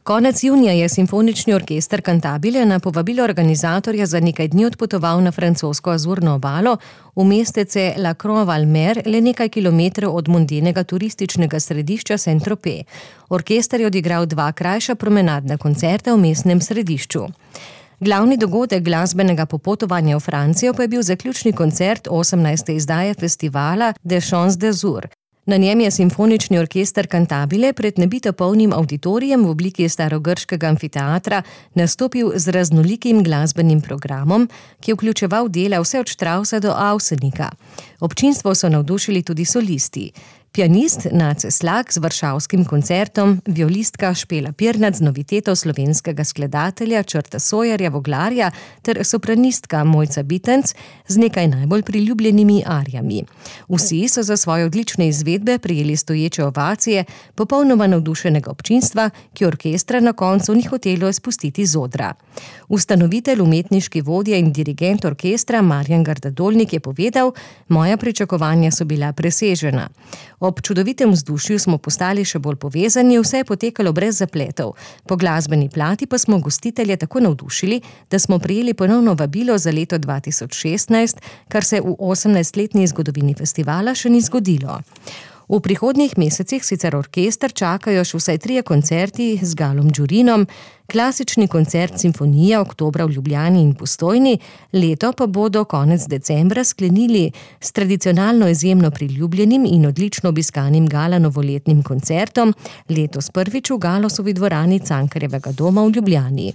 Konec junija je Simfonični orkester Cantabile na povabilo organizatorja za nekaj dni odpotoval na francosko Azurno obalo v mestece La Croix-Valmer, le nekaj kilometrov od mondenega turističnega središča Saint-Tropez. Orkester je odigral 2 krajša promenadna koncerta v mestnem središču. Glavni dogodek glasbenega popotovanja v Francijo pa je bil zaključni koncert 18. izdaje festivala Des Champs d'Azur. Na njem je Simfonični orkester Cantabile pred nebito polnim avditorijem v obliki starogrškega amfiteatra nastopil z raznolikim glasbenim programom, ki je vključeval dela vse od Straussa do Ausenika. Občinstvo so navdušili tudi solisti. Pianist Nace Slak z varšavskim koncertom, violistka Špela Pirnat z noviteto slovenskega skladatelja Črta Sojarja Voglarja ter sopranistka Mojca Bitenc z nekaj najbolj priljubljenimi arijami. Vsi so za svoje odlične izvedbe prejeli stoječe ovacije popolnoma navdušenega občinstva, ki orkestra na koncu ni hotelo spustiti z odra. Ustanovitelj, umetniški vodja in dirigent orkestra Marjan Gardadolnik je povedal: "Moja pričakovanja so bila presežena. Ob čudovitem vzdušju smo postali še bolj povezani, vse je potekalo brez zapletov. Po glasbeni plati pa smo gostitelje tako navdušili, da smo prejeli ponovno vabilo za leto 2016, kar se v 18-letni zgodovini festivala še ni zgodilo." V prihodnjih mesecih sicer orkester čakajo še vsaj 3 koncerti z Galom Đurinom, klasični koncert Simfonija oktobra v Ljubljani in Postojni, leto pa bodo konec decembra sklenili s tradicionalno izjemno priljubljenim in odlično obiskanim gala novoletnim koncertom, letos prvič v Galosovi dvorani Cankarjevega doma v Ljubljani.